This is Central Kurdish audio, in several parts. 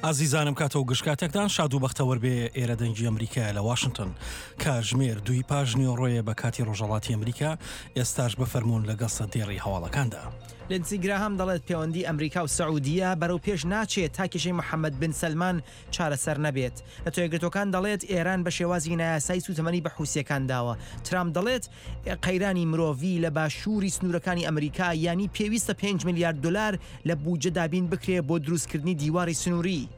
ئازیزانم کاتە و گشت کاتێکتان شاد و بەختەوەر بێ ئێرە دەنگی ئەمریکایە لە واشنتۆن کاژمێر دووی پاش نیوەڕۆیە بە کاتی ڕۆژهەڵاتی ئەمریکا ئێستاش بفەرموون لەگەڵ سەردێڕی هەواڵەکاندا. لینسی گراهام دەڵێت پێوەندی ئەمریکا و سعودیە بەرەو پێش ناچێت تا کێشەی محەمەد بن سەلمان چارەسەر نەبێت. نەتەوەیەکگرتووەکان دەڵێت ئێران بە شێوازی نایاسایی سووتەمەنی بە حوسییەکان داوە. ترامپ دەڵێت قەیرانی مرۆڤی لە باشووری سنوورەکانی ئەمریکا یانی پێویستە پێنج ملیار دۆلار لە بودجە دابین بکرێ بۆ دروستکردنی دیواری سنووری.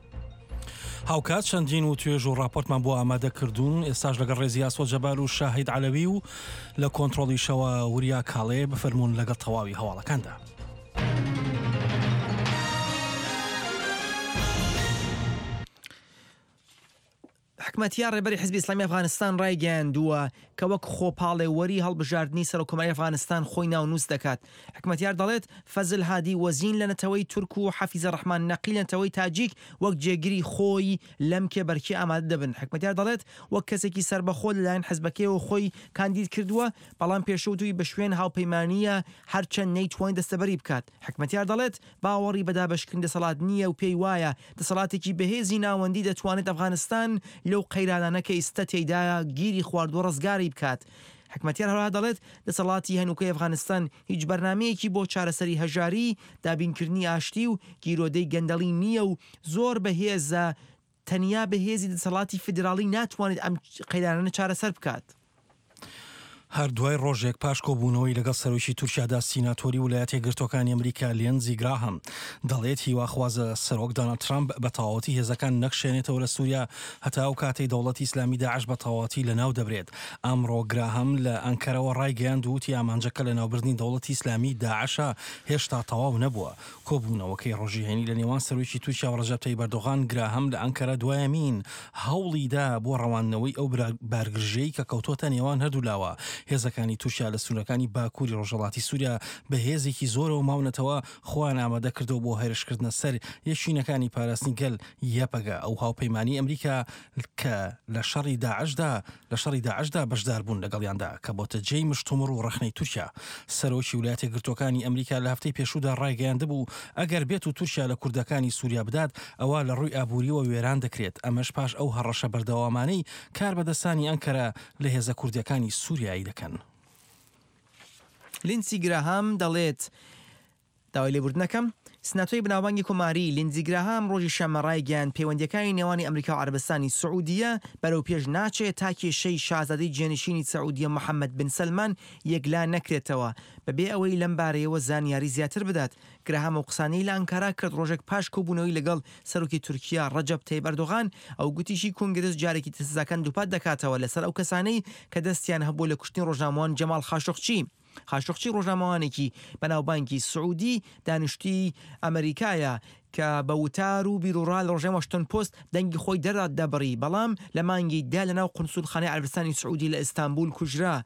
هاوکات چەندین وتوێژ و ڕاپۆرتمان بۆ ئامادە کردوون، ئێستاش لەگەڵ ڕێزی ئاسۆ جەبار و شاهید عەلەوی و لە کۆنترۆڵیشەوە وریا کاڵێ بفەرموون لەگەڵ تەواوی هەواڵەکاندا. حکمەتیار ڕێبەری حزبی ئیسلامی ئەفغانستان ڕایگەیاندووە کە وەک خۆپاڵێوەری هەڵبژاردنی سەرۆککۆماری ئەفغانستان خۆی ناونووس دەکات. حکمەتیار دەڵێت، فەزل هادی وەزین لە نەتەوەی تورک و حەفیزە ڕەحمان نەقی لە نەتەوەی تاجیک وەک جێگری خۆی لەم کێبەرکێ ئامادە دەبن. حکمەتیار دەڵێت، وەک کەسێکی سەربەخۆ لەلایەن حزبەکەیەوە خۆی کاندید کردووە، بەڵام پێشووتووی بە شوێن هاوپەیمانییە هەرچەند نەیتوانی دەستەبەری بکات. حکمەتیار دەڵێت، باوەڕی بە دابەشکردنی دەسەڵات نییە و پێی وایە دەسەڵاتێکی بەهێزی ناوەندی دەتوانێت ئەفغانستان لەو قەیرانانە کە ئیستە تێیدا گیری خواردووە ڕزگاری بکات. حکمەتیار هەروەها دەڵێت، دەسەڵاتی هەنووکەی ئەفغانستان هیچ بەرنامەیەکی بۆ چارەسەری هەژاری، دابینکردنی ئاشتی و گیرۆدەی گەندەڵی نییە و زۆر بەهێزە، تەنیا بە هێزی دەسەڵاتی فیدراڵی ناتوانێت ئەم قەیرانانە چارەسەر بکات. هەر دوای ڕۆژێک پاش کۆبوونەوەی لەگەڵ سەرۆکی تورکیادا سیناتۆری ولایەتە یەکگرتووەکانی ئەمریکا لێنزی گراهام دەڵێت هیواخوازە سەرۆک داناڵد ترامپ بە تەواوەتی هێزەکان نەکشێنێتەوە لە سوریا هەتا ئەو کاتەی دەوڵەتی ئیسلامی داعش بە تەواوەتی لەناو دەبرێت. ئەمڕۆ گراهام لە ئەنکەرەوە ڕایگەیاند و وتی ئامانجەکە لەناوبردنی دەوڵەتی ئیسلامی داعشە هێشتا تەواو نەبووە. کۆبوونەوەکەی ڕۆژی هەینی لە نێوان سەرۆکی تورکیا و ڕەجەب تەیب ئەردۆغان، گراهام لە ئەنکەرە دوایەمین هەوڵی دا بۆ ڕەواندنەوەی ئەو بارگرژییەی کە کەوتۆتە نێوان هەردوولاوە. هێزەکانی تورکیا لە سنوورەکانی باکووری ڕۆژهەڵاتی سووریا بە هێزێکی زۆرەوە ماونەتەوە، خۆیان ئامادە کردووە بۆ هێرشکردنە سەر یەکینەکانی پاراستنی گەل، یەپەگە، ئەو هاوپەیمانیی ئەمریکا کە لە شەڕی داعشدا لە شەڕی داعشدا بەشداربوون لەگەڵیاندا کە بۆتە جێی مشتومڕ و ڕەخنەی تورکیا. سەرۆکی ولایەتیەکگرتووەکانی ئەمریکا لە هەفتەی پێشوودا ڕایگەیاندبوو ئەگەر بێت و تورکیا لە کوردەکانی سوریا بدات ئەوا لە ڕووی ئابووریەوە وێران دەکرێت ئەمەش پاش ئەو هەڕەشە بەردەوامانەی کاربەدەستانی ئەنکەرە لە هێزە کوردیەکانی سوریایی دەکەن. لینسی گراهام دەڵێت، داوای لێبوردن ئەکەم. سناتۆی بەناوبانگی کۆماری، لیندزی گراهام ڕۆژی شەممە ڕایگەیاند پەیوەندییەکانی نێوانی ئەمریکا و عەرەبستانی سعودیە بەرەو پێش ناچێت تا کێشەی شازادەی جێنشینی سعودیە محەمەد بن سەلمان یەکلا نەکرێتەوە بەبێ ئەوەی لەم بارەیەوە زانیاری زیاتر بدات. گراهام ئەو قسانەی لە ئەنکارا کرد ڕۆژێک پاش کۆبوونەوەی لەگەڵ سەرۆکی تورکیا ڕەجەب تەیب ئەردۆغان، ئەو گوتیشی کۆنگرس جارێکی تر سزاکان دووپات دەکاتەوە لەسەر ئەو کەسانەی کە دەستیان هەبووە لە کوشتنی ڕۆژنامەوان جەماڵ خاشقچی. خاشقچی ڕۆژنامەوانێکی بەناوبانگی سعودی دانیشتووی ئەمەریکایە کە بە وتار و بیروڕا لە ڕۆژنامەی واشنتۆن پۆست دەنگی خۆی دەردەبڕی، بەڵام لە مانگی دە لەناو قونسوڵخانەی عەرەبستانی سعودی لە ئیستانبول کوژرا.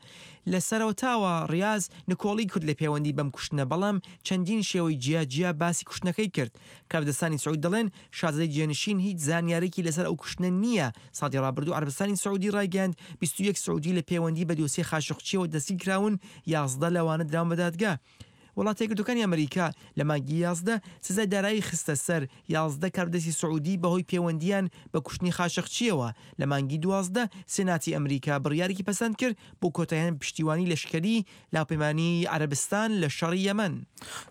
لە سەرەتاوە ڕیاز نکۆڵی کرد لە پێوەندی بەم کوشتنە، بەڵام چەندین شێوەی جیا جیا باسی کوشتنەکەی کرد. کاربەدەستانی سعود دەڵێن شازادەی جێنشین هیچ زانیارێکی لەسەر ئەو کوشتنە نییە. ساڵی ڕابردوو عەرەبستانی سعودی ڕایگەیاند 21 سعودی لە پێوەندی بە دۆسیەی خاشقچییەوە دەستگیرکراون، 11 لەوانە دراون بە دادگا. وڵاتە یەکگرتووەکانی ئەمریکا لە مانگی 11 سزای دارایی خستە سەر 11 کاربەدەستی سعودی بەهۆی پێوەندییان بە کوشتنی خاشقچییەوە. لە مانگی 12 سێناتی ئەمریکا بڕیارێکی پەسەند کرد بۆ کۆتاییهێنان بە پشتیوانی لەشکری لە هاوپەیمانیی عەرەبستان لە شەڕی یەمەن.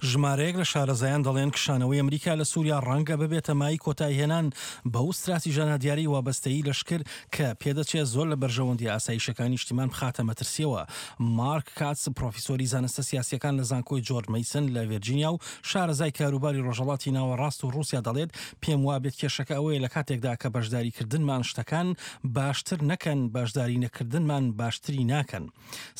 ژمارەیەک لە شارەزایان دەڵێن کشانەوەی ئەمریکا لە سوریا ڕەنگە ببێتە مایەی کۆتاییهێنان بەو ستراتیژە نادیارەی وابەستەیی لەشکر کە پێدەچێت زۆر لە بەرژەوەندییە ئاسایشیەکانی نیشتیمان بخاتە مەترسییەوە. مارک کاتس پرۆفیسۆری زانستە سیاسییەکان لە زانکۆی جۆرج مەیسن لە ڤێرجینیا و شارەزای کاروباری ڕۆژهەڵاتی ناوەڕاست و ڕووسیا دەڵێت پێم وابێت کێشەکە ئەوەیە لە کاتێکدا کە بەشداریکردنمان شتەکان باشتر نەکەن بەشداری نەکردنمان باشتری ناکەن.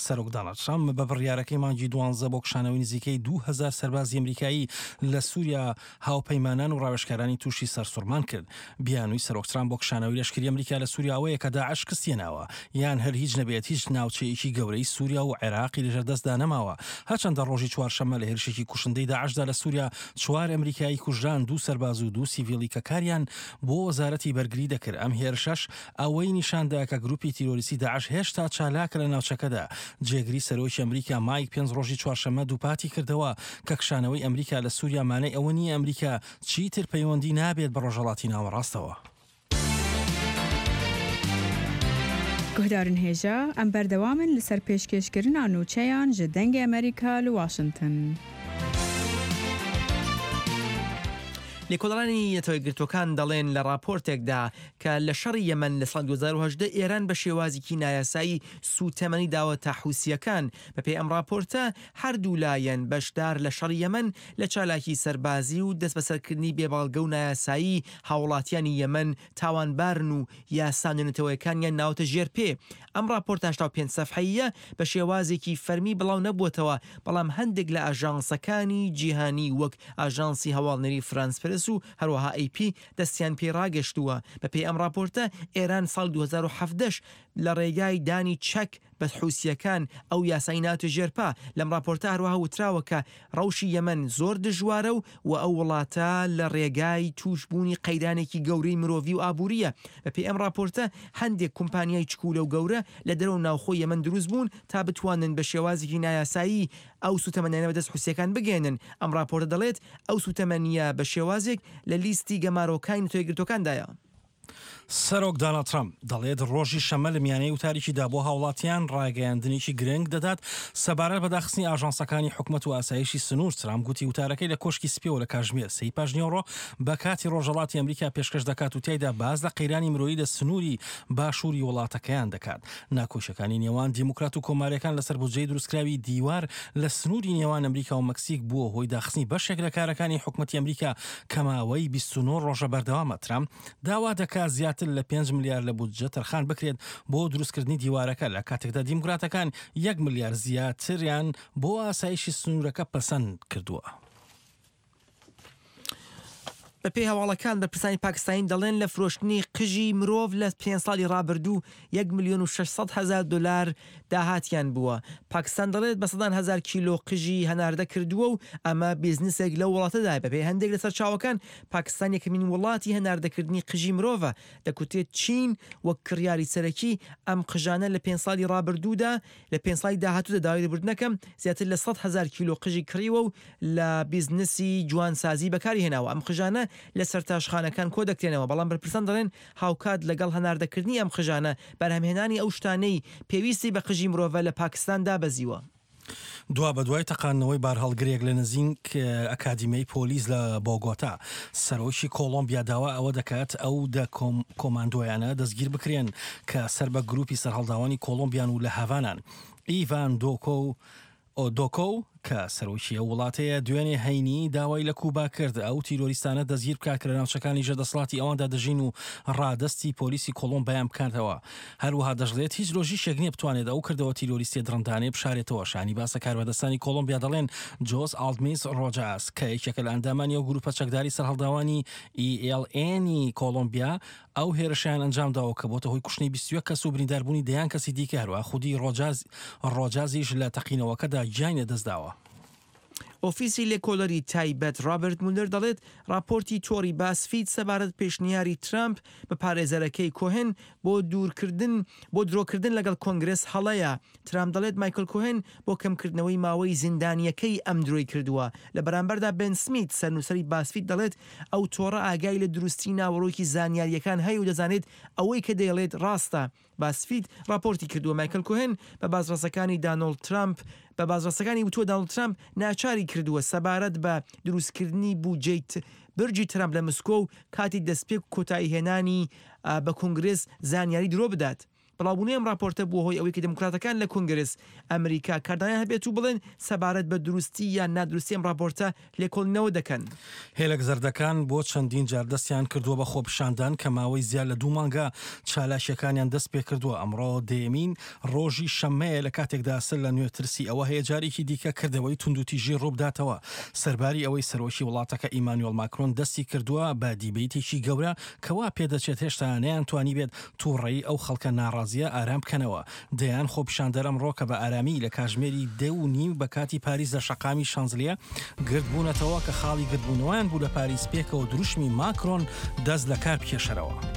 سەرۆک داناڵد ترەمپ بە بڕیارەکەی مانگی دوانزە بۆ کشانەوەی نزیکەی 2000 سەربازی ئەمریکایی لە سووریا هاوپەیمانان و ڕاوێژکارانی تووشی سەرسوڕمان کرد. بیانووی سەرۆک ترامپ بۆ کشانەوەی لەشکری ئەمریکا لە سووریا ئەوەیە کە داعش شکستی هێناوە یان هەر هیچ نەبێت هیچ ناوچەیەکی گەورەی سووریا و عێراقی لەژێر دەستدا نەماوە. هەرچەندە ڕۆژی چوارشەممە. چوارشەممە لە هێرشێکی کوشندەی داعشدا لە سووریا چوار ئەمریکایی کوژران، دوو سەرباز و دوو سیڤیلی کە کاریان بۆ وەزارەتی بەرگری دەکرد. ئەم هێرشەش ئەوەی نیشاندا کە گروپی تیرۆریستی داعش هێشتا چالاکە لە ناوچەکەدا. جێگری سەرۆکی ئەمریکا مایک پێنس ڕۆژی چوارشەممە دووپاتی کردەوە کە کشانەوەی ئەمریکا لە سووریا مانای ئەوە نییە ئەمریکا چیتر پەیوەندی نابێت بە ڕۆژهەڵاتی ناوەڕاستەوە. Guhdarên hêja, em berdewam in li ser pêşkêşkirina nûçeyan ji Dengê Amerîka li Washington. لێکۆڵەرانی نەتەوەیەکگرتووەکان دەڵێن لە ڕاپۆرتێکدا کە لە شەڕی یەمەن لە ساڵی 2018 ئێران بە شێوازێکی نایاسایی سووتەمەنی داوەتە حوسییەکان. بەپێی ئەم ڕاپۆرتە هەردوو لایەن بەشدار لە شەڕی یەمەن لە چالاکی سەربازی و دەستبەسەرکردنی بێ بەڵگە و نایاسایی هاووڵاتیانی یەمەن تاوانبارن و یاسا نێونەتەوەیەکانیان ناوەتە ژێر پێ. ئەم ڕاپۆرتە 85 سەفحەییە بە شێوازێکی فەرمی بڵاو نەبووەتەوە، بەڵام هەندێک لە ئاژانسەکانی جیهانی وەک ئاژانسی هەواڵنێری فرانس پرس و هەروەها ئەی پی دەستیان پێی ڕاگەشتووە. بەپێی ئەم ڕاپۆرتە ئێران ساڵی 2017 لە ڕێگای دانی چەک بە حوسییەکان ئەو یاسای ناتە ژێر پا. لەم ڕاپۆرتە هەروەها وتراوە کە ڕەوشی یەمەن زۆر دژوارە و و ئەو وڵاتە لە ڕێگای تووش بوونی قەیرانێکی گەورەی مرۆڤی و ئابوورییە. بە پێی ئەم ڕاپۆرتە هەندێک کومپانیای چکوولە و گەورە لە دەرەوە و ناوخۆی یەمەن دروست بوون تا بتوانن بە شێوازێکی نایاسایی ئەو سووتەمەنیانە بە دەست حوسییەکان بگەیەنن. ئەم ڕاپۆرتە دەڵێت ئەو سووتەمەنییە بە شێوازێک لە لیستی گەمارۆکانی نەتەوە یەکگرتووەکاندایە. سەرۆک داناڵد ترەمپ دەڵێت ڕۆژی شەممە لە میانەی وتارێکیدا بۆ هاوڵاتیان ڕاگەیاندنێکی گرنگ دەدات سەبارەت بە داخستنی ئاژانسەکانی حکومەت و ئاسایشی سنوور. ترامپ گوتی وتارەکەی لە کۆشکی سپیەوە لە کاژمێر سێی پاشنیوەڕۆ بە کاتی ڕۆژهەڵاتی ئەمریکا پێشکەش دەکات و تیایدا باس لە قەیرانی مرۆیی لە سنووری باشووری وڵاتەکەیان دەکات. ناکۆکیەکانی نێوان دیموکرات و کۆماریەکان لەسەر بودجەی دروستکراوی دیوار لە سنووری نێوان ئەمریکا و مەکسیک بووە هۆی داخستنی بەشێک لە کارەکانی حکومەتی ئەمریکا کە ماوەی 29 ڕۆژە بەردەوامە. ترامپ داوا دەکات زیاتر لە 5 ملیار لە بودجە تەرخان بکرێت بۆ دروستکردنی دیوارەکە، لە کاتێکدا دیموکراتەکان یەک ملیار زیاتریان بۆ ئاسایشی سنوورەکە پەسەند کردووە. بەپێی هەواڵەکان بەرپرسانی پاکستانی دەڵێن لە فرۆشتنی قژی مرۆڤ لە پێنج ساڵی ڕابردوو یەک ملیۆن و 600 هەزار دۆلار داهاتیان بووە. پاکستان دەڵێت بە سەدان هەزار کیلۆ قژی هەناردە کردووە و ئەمە بیزنسێک لەو وڵاتەدایە. بەپێی هەندێک لە سەرچاوەکان پاکستان یەکەمین وڵاتی هەناردەکردنی قژی مرۆڤە. دەکوترێت چین وەک کڕیاری سەرەکی ئەم قژانە لە پێنج ساڵی ڕابردوودا لە پێنج ساڵی داهاتوودا داوای لێبوردنەکەم زیاتر لە 100,000 کیلۆ قژی کڕیوە و لە بیزنسی جوانسازی بەکاری هێناوە. ئەم قژانە لە سەرتاشخانەکان کۆدەکرێنەوە، بەڵام بەرپرسان دەڵێن هاوکات لەگەڵ هەناردەکردنی ئەم قژانە، بەرهەمهێنانی ئەو شتانەی پێویستی بە قژی مرۆڤە لە پاکستان دابەزیوە. دوابەدوای تەقاندنەوەی بارهەڵگرێک لە نزینک ئەکادیمیای پۆلیس لە بۆگۆتا، سەرۆکی کۆڵۆمبیا داوا ئەوە دەکات ئەو دە کۆماندۆیانە دەستگیر بکرێن کە سەر بە گروپی سەرهەڵداوانی کۆڵۆمبیان و لە هاڤانان. ئیڤان دۆکۆ و دۆکۆ کە سەرۆکی ئەو وڵاتەیە دوێنێ هەینی داوای لە کوبا کرد ئەو تیرۆریستانە دەستگیر بکات کە لە ناوچەکانی ژێر دەسەڵاتی ئەواندا دەژین و ڕادەستی پۆلیسی کۆڵۆمبیایان بکاتەوە. هەروەها دەشڵێت هیچ لۆژیکێک نییە بتوانێت ئەو کردەوە تیرۆریستیە دڕندانەیە بشارێتەوە. شانی باسە کاربەدەستانی کۆڵۆمبیا دەڵێن جۆس ئاڵدمیس ڕۆجاس کە یەکێکە لە ئەندامانی ئەو گروپە چەکداری سەرهەڵداوانی ELN ی کۆڵۆمبیا ئەو هێرشەیان ئەنجامداوە کە بۆتە هۆی کوشتنی 21 کەس و برینداربوونی دەیان کەسی دیکە هەروەها خودی ڕۆجازیش لە تەقینەوەکەدا گیانی لەدەستداوە. ئۆفیسی لێکۆڵەری تایبەت ڕابەرت مولەر دەڵێت ڕاپۆرتی تۆڕی بازفید سەبارەت پێشنیاری ترامپ بە پارێزەرەکەی کۆهن بۆ دوورکردن بۆ درۆکردن لەگەڵ کۆنگرێس هەڵەیە. ترامپ دەڵێت مایکل کۆهن بۆ کەمکردنەوەی ماوەی زیندانییەکەی ئەم درۆی کردووە. لە بەرامبەردا بێن سمیت سەرنووسەری بازفید دەڵێت ئەو تۆڕە ئاگای لە دروستی ناوەڕۆکی زانیارییەکان هەیە و دەزانێت ئەوەی کە دەیڵێت ڕاستە. بازفید ڕاپۆرتی کردووە مایکل کۆهن بە بازڕەسەکانی دانۆڵد ترامپ بە بازڕەسەکانی وتووە دانۆڵد ترامپ ناچاری کردووە سەبارەت بە دروستکردنی بوجەی برجی ترامپ لە مسکۆ و کاتی دەستپێک و کۆتاییهێنانی بە کۆنگرێس زانیاری درۆ بدات. بڵاوبوونەوەی ئەم ڕاپۆرتە بووە هۆی ئەوەی کە دیموکراتەکان لە کۆنگرێس ئەمریکا کاردانەوەیان هەبێت و بڵێن سەبارەت بە دروستی یان نادروستی ئەم ڕاپۆرتە لێکۆڵینەوە دەکەن. هێلەک زەردەکان بۆ چەندین جار دەستیان کردووە بە خۆپیشاندان کە ماوەی زیاد لە دوو مانگە چالاکییەکانیان دەستپێکردووە، ئەمڕۆ دەیەمین ڕۆژی شەممەیە لە کاتێکدا سەر لە نوێ ترسی ئەوە هەیە جارێکی دیکە کردەوەی توندوتیژی ڕووبداتەوە سەرباری ئەوەی سەرۆکی وڵاتەکە ئیمانوێڵ ماکرۆن دەستی کردووە بە دیبەیتێکی گەورە کە وا پێدەچێت هێشتا نەیانتوانیبێت تووڕەیی ئەو خەڵکە ناڕازییە. ناڕازییە ئارام بکەنەوە. دەیان خۆپیشاندەر ئەمڕۆ کە بە ئارامی لە کاژمێری دە و نیو بە کاتی پاریس لە شەقامی شانزلیە گردبوونەتەوە کە خاڵی گردبوونەوەیان بوو لە پاریس پێکەوە دروشمی ماکرۆن دەست لە کار بکێشەرەوە.